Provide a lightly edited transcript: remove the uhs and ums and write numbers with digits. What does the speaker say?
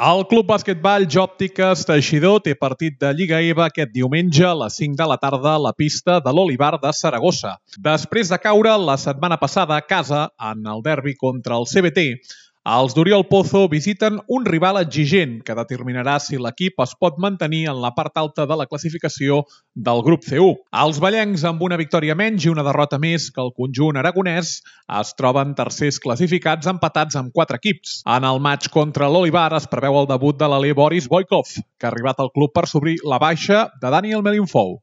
El Club Basquetball Jòptiques Teixidor té partit de Lliga EVA aquest diumenge a les 5 de la tarda a la pista de l'Olivar de Saragossa. Després de caure la setmana passada a casa en el derbi contra el CBT, els d'Oriol Pozo visiten un rival exigent que determinarà si l'equip es pot mantenir en la part alta de la classificació del grup C1. Els ballencs, amb una victòria menys i una derrota més que el conjunt aragonès, es troben tercers classificats empatats amb 4 equips. En el matx contra l'Olivar es preveu el debut de l'alè Boris Boykov, que ha arribat al club per suplir la baixa de Daniel Melinfou.